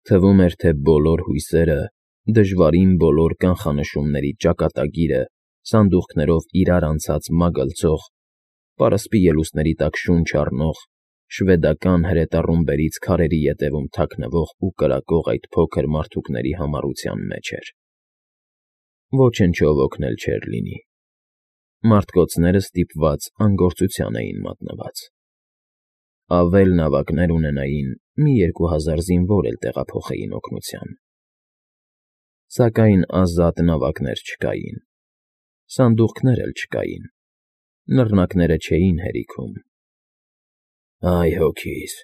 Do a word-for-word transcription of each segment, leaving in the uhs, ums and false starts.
Թվում էր, թե բոլոր հույսերը, դժվարին բոլոր կանխանշումների ճակատագիրը սանդուղքներով իրար անցած մագլցող, պարսպի ելուստների տակ շունչ առնող, շվեդական հրետառումբերից քարերի ետևում թաքնվող ու կրակող այդ փոքր մարդուկների համառության մեջ էր։ Ոչնչով օգնել չէր լինի։ Մարդկոցները ստիպված անգործության էին մատնված։ Ավել նավակներ ունենային, մի երկու հազար զինվոր էլ տեղափոխեին օգնության։ Սակայն ազատ նավակներ չկային, սանդուղքներ էլ չկային, նռնակները չէին հերիքում։ Այ հոգիս,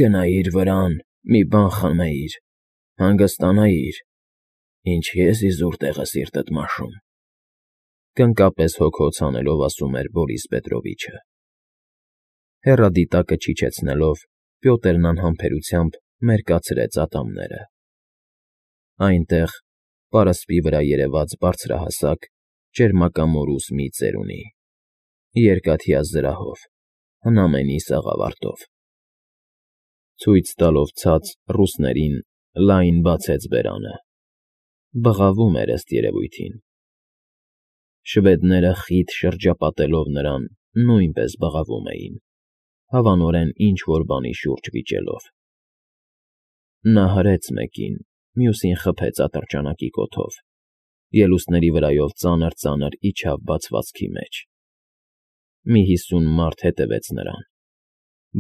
գնայիր վրան, մի բան խմեիր, հանգստանայիր, ինչ ես իզուր տեղը սիրտդ մաշում,֊ կնկապես հոգոց հանելով ասում էր Բորիս Պետրովիչը։ Հեռադիտակը չիջեցնելով՝ Պյոտրն անհամբերությամբ մերկացրեց ատամները։ Այնտեղ, պարսպի վրա երևաց բարձրահասակ, ճերմակամորուս մի ծերունի, երկաթյա զրահով, հնամենի սաղավարտով։ Ցույց տալով ցած ռուսներին՝ լայն բացեց բերանը։ Բղավում էր, ըստ երևույթին։ Շվեդները խիտ շրջապատելով նրան, նույնպես բղավում էին, հավանորեն ինչ֊որ բանի շուրջ վիճելով։ Նա հրեց մեկին, մյուսին խփեց ատրճանակի կոթով, ելուստների վրայով ծանր֊ծանր իջավ բացվածքի մեջ։ Մի հիսուն մարդ հետևեց նրան։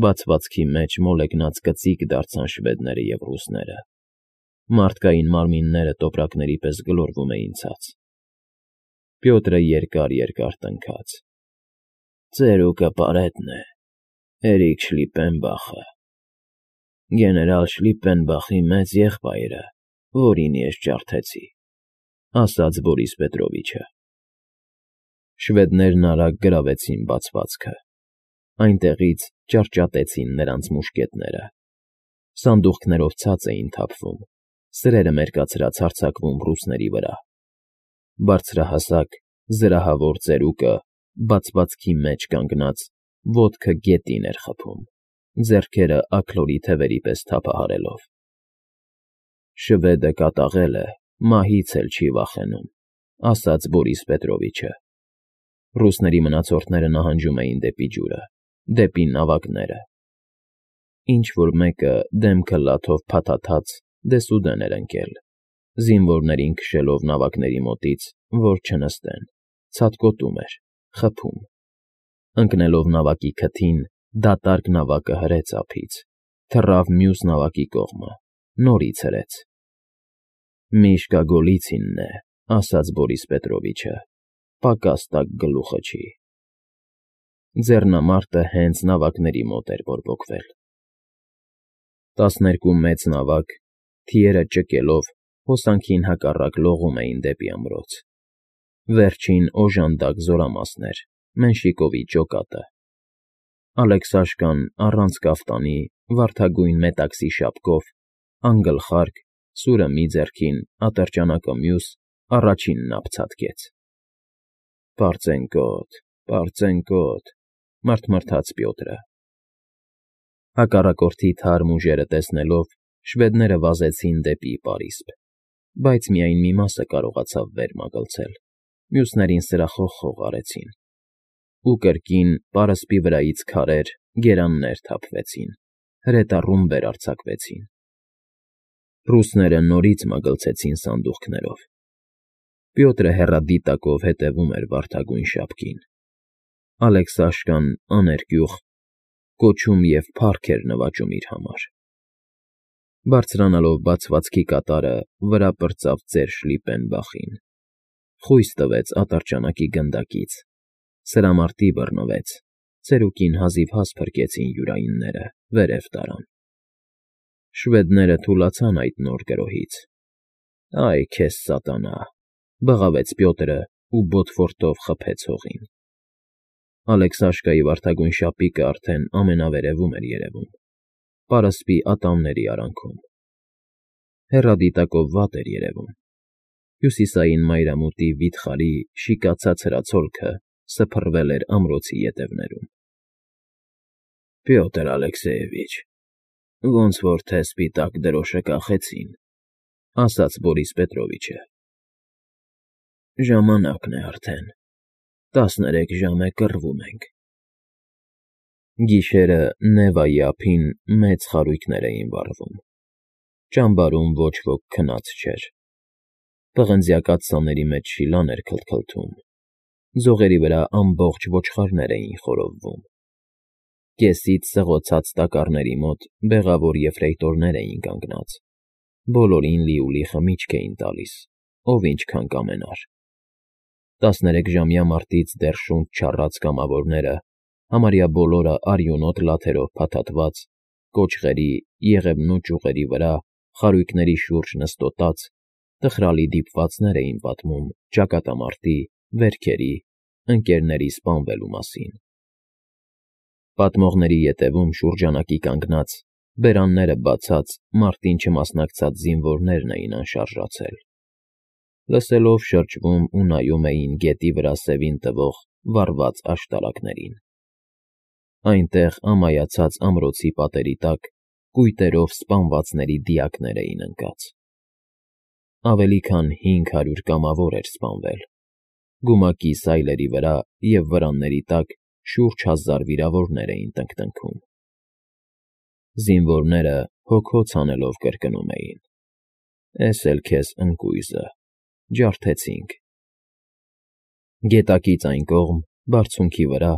Բացվածքի մեջ մոլեգնած կծիկ դարձան շվեդները և ռուսները։ Մարդկային մարմինները տոպրակների պես գլորվում էին ցած։ Պյոտրը երկար֊երկար տնքաց. «Ծերուկը պարետն է, Էրիկ Շլիպպենբախը, գեներալ Շլիպպենբախի մեծ եղբայրը, որին ես ջարդեցի»,֊ ասաց Բորիս Պետրովիչը։ Շվեդներն արագ գրավեցին բացվածքը։ Այնտեղից ճարճատեցին նրանց մուշկետները։ Սանդուղքներով ցած էին թափվում, սրերը մերկացրած հարձակվում ռուսների վրա։ Բարձրահասակ, զրահավոր ծերուկը, բացվածքի մեջ կանգնած, ոտքը գետին էր խփում, ձեռքերը աքլորի թևերի պես թափահարելով։ «Շվեդը կատաղել է, մահից էլ չի վախենում»,֊ ասաց Բորիս Պետրովիչը։ Ռուսների մնացորդները նահանջում էին դեպի ջուրը, դեպի նավակները։ Ինչ֊որ մեկը դեմքը լաթով փաթաթած դեսուդեն էր ընկել, զինվորներին քշելով նավակների մոտից, որ չնստեն, ցատկոտում էր, խփում։ Ընկնելով նավակի քթին, դատարկ նավակը հրեց ափից, թռավ մյուս նավակի կողմը, նորից հրեց։ «Միշկա Գոլիցինն է», ասաց Բորիս Պետրովիչը, «պակաս տակ գլուխը չի»։ Ձեռնամարտը հենց նավակների մոտ էր բորբոքվել։ Տասներկու մեծ նավակ, թիերը ճկելով, հոսանքին հակառակ լողում էին դեպի ամրոց։ Վերջին օժանդակ զորամասն էր, Մենշիկովի ջոկատը։ Ալեքսաշկան առանց կաֆտանի, վարդագույն մետաքսի շապկով, անգլխարկ, սուրը մի ձեռքին, ատրճանակը մյուս, առաջինն ափ ցատկեց։ «Պարծենկոտ, պարծենկոտ», մռթմռթաց Պյոտրը։ Հակառակորդի թարմ ուժերը տեսնելով, շվեդները վազեցին դեպի պարիսպ, բայց միայն մի մասը կարողացավ վեր մագլցել, մյուսներին սրախող֊խող արեցին։ Ու կրկին պարսպի վրայից քարեր, գերաններ թափվեցին, հրետառումբեր արձակվեցին։ Ռուսները նորից մագլցեցին սանդուղքներով։ Պյոտրը հեռադիտակով հետևում էր վարդագույն շապկին։ Ալեքսաշկան աներկյուղ կոչում և փառք էր նվաճում իր համար։ Բարձրանալով բացվածքի կատարը, վրա պրծավ ծեր Շլիպպենբախին, խույս տվեց ատրճանակի գնդակից, սրամարտի բռնվեց, ծերուկին հազիվհազ փրկեցին յուրայինները, վերև տարան։ Շվեդները թուլացան այդ նոր գրոհից։ «Այ քեզ սատանա»,֊ բղավեց Պյոտրը ու բոթֆորտով խփեց հողին։ Ալեքսաշկայի վարդագույն շապիկը արդեն ամենավերևում էր երևում, պարսպի ատամների արանքում։ Հեռադիտակով վատ էր երևում։ Հյուսիսային մայրամուտի վիթխարի շիկացած հրացոլքը սփռվել էր ամրոցի ետևներում։ «Պյոտր Ալեքսեևիչ, Ոնց որ թե սպիտակ դրոշը կախեցին,֊ ասաց Բորիս Պետրովիչը։ Ժամանակն է արդեն, տասներեք ժամ է կռվում ենք։ Գիշերը Նևայի ափին մեծ խարույկներ էին վառվում, ճամբարում ոչ ոք քնած չէր, պղնձյա կաթսաների մեջ շիլան էր քլթքլթում, ձողերի վրա ամբողջ ոչխարներ էին խորովվում, կեսից սղոցած տակառների մոտ բեղավոր եֆրեյտորներ էին կանգնած, բոլորին լիուլի խմիչք էին տալիս, ով ինչքան կամենար։ Տասներեքժամյա մարտից դեռ շունչ չառած կամավորները, համարյա բոլորը արյունոտ լաթերով փաթաթված, կոճղերի, եղևնու ճյուղերի վրա, խարույկների շուրջ նստոտած, տխրալի դիպվածներ էին պատմում ճակատամարտի, վերքերի, ընկերների սպանվելու մասին։ Պատմողների ետևում շուրջանակի կանգնած, բերանները բացած, մարտին չմասնակցած զինվորներն էին անշարժացել։ Լսելով շրջվում ու նայում էին գետի վրա սևին տվող վառված աշտարակներին։ Այնտեղ ամայացած ամրոցի պատերի տակ կույտերով սպանվածների դիակներ էին ընկած։ Ավելի քան հինգ հարյուր կամավոր էր սպանվել, գումակի սայլերի վրա և վրանների տակ շուրջ հազար վիրավորներ էին տնքտնքում։ Զինվորները հոգոց հանելով կրկնում էին. «Էս էլ քեզ ընկույզը, ջարդեցինք»։ Գետակից այն կողմ, բարձունքի վրա,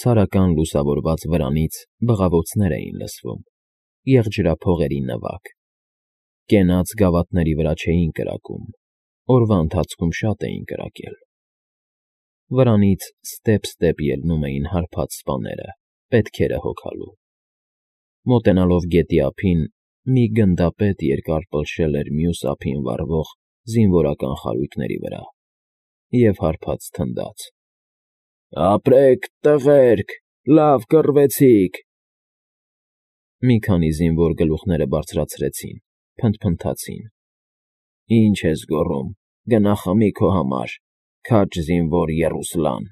ցարական լուսավորված վրանից բղավոցներ էին լսվում, եղջրափողերի նվագ։ Կենաց գավաթների վրա չէին կրակում, օրվա ընթացքում շատ էին կրակել։ Վրանից ստեպ֊ստեպ ելնում էին հարբած սպաները, պետքերը հոգալու։ Մոտենալով գետի ափին, մի գնդապետ երկար պլշել էր մյուս ափին վառվող զինվորական խարույկների վրա և հարբած թնդաց. «Ապրեք, տղերք, լավ կռվեցիք»։ Մի քանի զինվոր գլուխները բարձրացրեցին, փնթփնթացին. «Ինչ ես գոռում, գնա խմի քո համար, քաջ զինվոր եռուսլան»։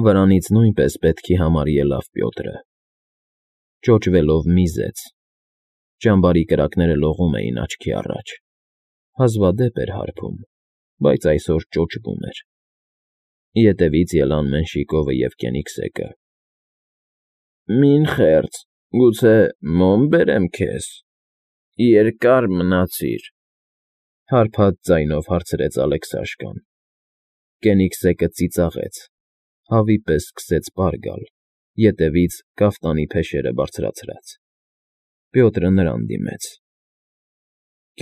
Վրանից նույնպես պետքի համար ելավ Պյոտրը։ Ճոճվելով միզեց, ճամբարի կրակները լողում էին աչքի առաջ, հազվադեպ էր հարբում, բայց այսօր ճոճվում էր։ Ետևից ելան Մենշիկովը և Կենիգսեկը։ «Մին խեղճ, գուցե մոմ բերեմ քեզ, երկար մնացիր,֊ հարբած ձայնով հարցրեց Ալեքսաշկան։ Կենիգսեկը ծիծաղեց, հավի պես սկսեց պար գալ, ետևից կաֆտանի փեշերը բարձրացրած։ Պյոտրը նրան դիմեց.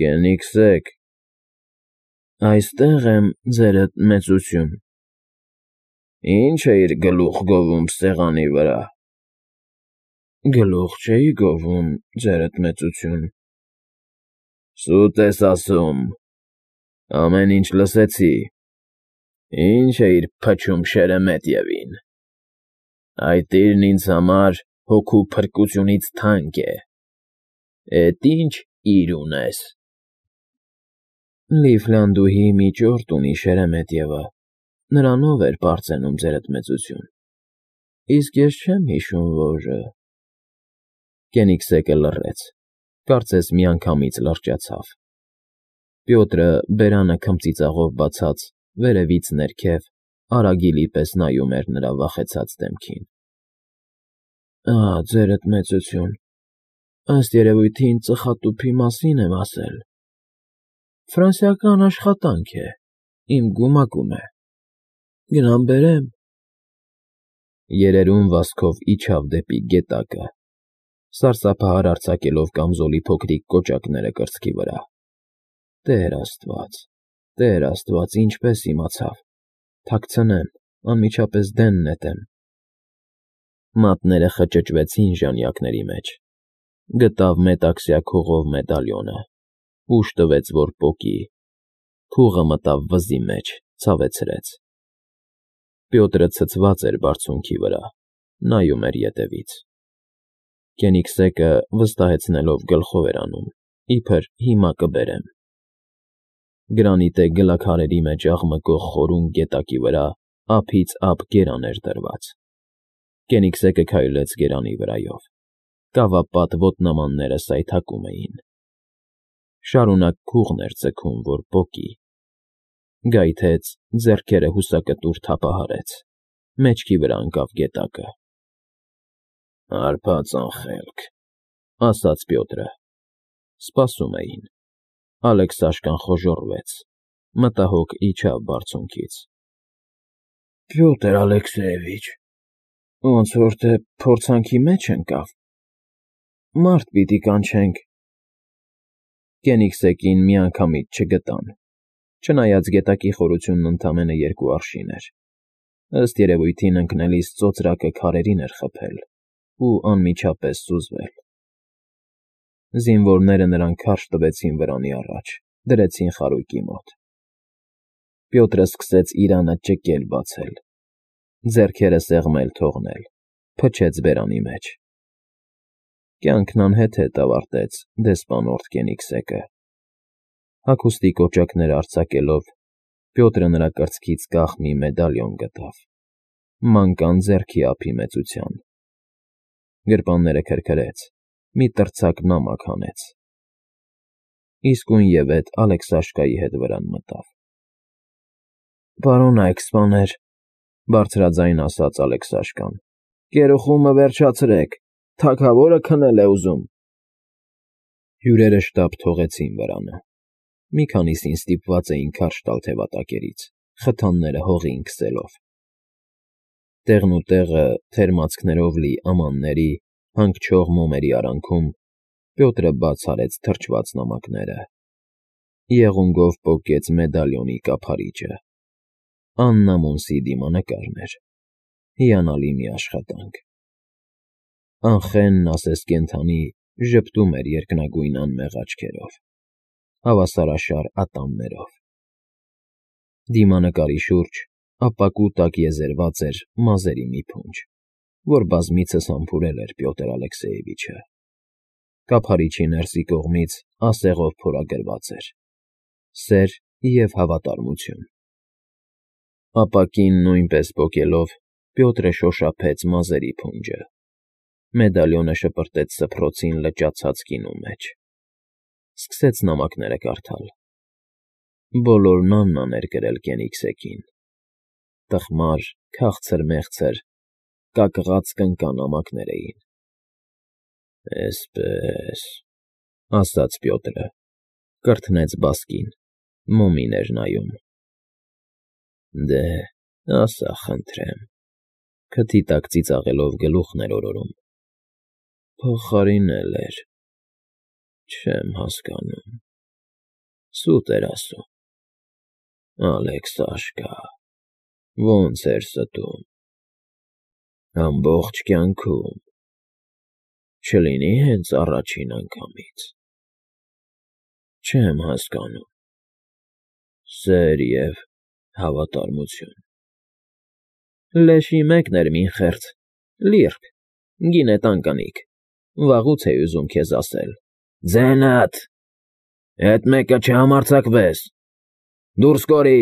«Կենիգսեկ, այստեղ եմ, ձերդ մեծություն»։ «Ի՞նչ էիր գլուխ գովում սեղանի վրա»։ «Գլուխ չէի գովում, ձերդ մեծություն»։ «Սուտ ես ասում, ամեն ինչ լսեցի, ի՞նչ էիր փչում Շերեմետյևին։ Այդ տիրն ինձ համար հոգու փրկությունից թանկ է, էդ ի՞նչ իր ունես»։ «Լիֆլանդուհի մի ճորտ ունի Շերեմետյևը, նրանով էր պարծենում, ձերդ մեծություն, իսկ ես չեմ հիշում, որ…»։ Կենիգսեկը լռեց, կարծես միանգամից լրջացավ։ Պյոտրը, բերանը քմծիծաղով բացած, վերևից ներքև, արագիլի պես նայում էր նրա վախեցած դեմքին։ «Ա՜, ձերդ մեծություն, ըստ երևույթին ծխատուփի մասին եմ ասել։ Ֆրանսիական աշխատանք է, իմ գումակում է, գնամ բերեմ»։ Երերուն վազքով իջավ դեպի գետակը, սարսափահար արձակելով կամզոլի փոքրիկ կոճակները կրծքի վրա։ Տեր Աստված, Տեր Աստված, ինչպես իմացավ, թաքցնեմ, անմիջապես դեն նետեմ։ Մատները խճճվեցին ժանյակների մեջ, գտավ մետաքսյա քողով մեդալիոնը, ուժ տվեց, որ պոկի, փուղը մտավ վզի մեջ, ցավեցրեց։ Պյոտրը ցցված էր բարձունքի վրա, նայում էր ետևից։ Կենիգսեկը վստահեցնելով գլխով էր անում, իբր հիմա կբերեմ։ Գրանիտե գլաքարերի մեջ աղմկող խորուն գետակի վրա ափից ափ գերան էր դրված։ Կենիգսեկը քայլեց գերանի վրայով, Կավապատ ոտնամանները սայթաքում էին։ Շարունակ քուղն էր ձգում, որ պոկի։ Գայթեց, ձեռքերը հուսակտուր թափահարեց, մեջքի վրա ընկավ գետակը։ «Հարբած անխելք», ասաց Պյոտրը։ Սպասում էին։ Ալեքսաշկան խոժոռվեց, մտահոգ իջավ բարձունքից։ «Պյոտր Ալեքսեևիչ, ոնց որ դե փորձանքի մեջ ընկավ, մարդ պիտի կանչենք»։ Կենիգսեկին միանգամից չգտան, չնայած գետակի խորությունն ընդամենը երկու արշին էր, ըստ երևույթին ընկնելիս ծոծրակը քարերին էր խփել ու անմիջապես սուզվել։ Զինվորները նրան քարշ տվեցին վրանի առաջ, դրեցին խարույկի մոտ։ Պյոտրը սկսեց իրանը ճկել֊բացել, ձեռքերը սեղմել թողնել, փչեց բերանի մեջ։ Կյանքն անհեթեթ ավարտեց դեսպանորդ Կենիգսեկը։ Հագուստի կոճակները արձակելով, Պյոտրը նրա կրծքից կախ մի մեդալիոն գտավ, մանկան ձեռքի ափի մեծության։ Գրպանները քրքրեց, մի տրցակ նամակ հանեց։ Իսկույնևեթ Ալեքսաշկայի հետ վրան մտավ։ «Պարոն այքսպաներ», բարձրաձայն ասաց Ալեքսաշկան, «գերուխումը վերջացրեք, թագավորը քնել է ուզում»։ Հյուրերը շտապ թողեցին վրանը։ Մի քանիսին ստիպված էին քարշ տալ թևատակերից, խթանները հողին քսելով։ Տեղն ու տեղը թերմացքներով լի ամանների, հանգչող մոմերի արանքում Պյոտրը բաց արեց թրջված նամակները։ Եղունգով պոկեց մեդալիոնի կափարիչը։ Աննամոն դիմանկարն էր։ Հիանալի մի աշխատանք։ Անխենն ասես կենդանի ժպտում էր երկնագույն անմեղ աչքերով, հավասարաշար ատամներով։ Դիմանկարի շուրջ ապակու տակ եզերված էր մազերի մի փունջ, որ բազմիցս համբուրել էր Պյոտր Ալեքսեևիչը։ Կափարիչի ներսի կողմից ասեղով փորագրված էր. «Սեր և հավատարմություն»։ Ապակին նույնպես պոկելով, Պյոտրը շոշափեց մազերի փունջը։ Մեդալիոնը շպրտեց սփռոցին լճացած գինու մեջ։ Սկսեց նամակները կարդալ։ Բոլորն Աննան էր գրել Կենիգսեկին։ Տխմար, քաղցր֊մեղցր, կակղած կնկան նամակներ էին։ «Էսպես», ասաց Պյոտրը, կրթնեց բասկին, մոմին էր նայում։ «Դե, ասա խնդրեմ», քթի տակ ծիծաղելով գլուխն էր օրորում։ «Փոխարինել էր, չեմ հասկանում, սուտ էր ասում։ Ալեքսաշկա, ոնց էր ստում։ Ամբողջ կյանքում, չլինի՞ հենց առաջին անգամից։ Չեմ հասկանում։ Սեր և հավատարմություն»։ «Լեշի մեկն էր մինխերց, լիրբ, գինետան կնիկ, վաղուց էի ուզում քեզ ասել»։ «Ձենըդ, էդ մեկը չհամարձակվես, դուրս կորի»։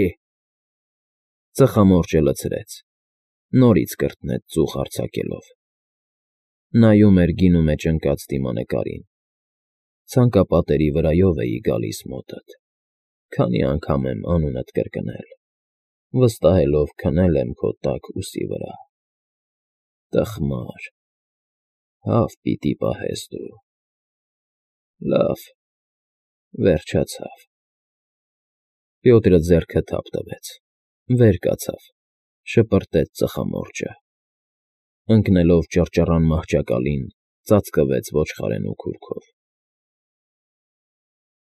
Ծխամորճը լցրեց, նորից կրթնեց ծուխ արձակելով։ Նայում էր գինու մեջ ընկած դիմանկարին։ Ցանկապատերի վրայով էի գալիս մոտդ, քանի անգամ եմ անունդ կրկնել, վստահելով քնել եմ քո տաք ուսի վրա։ Տխմար, հավ պիտի պահես դու։ Լավ, վերջացավ։ Պյոտրը ձեռքը թափ տվեց, վեր կացավ, շպրտեց ծխամորճը։ Ընկնելով ճռճռան մահճակալին, ծածկվեց ոչխարենու քուրքով։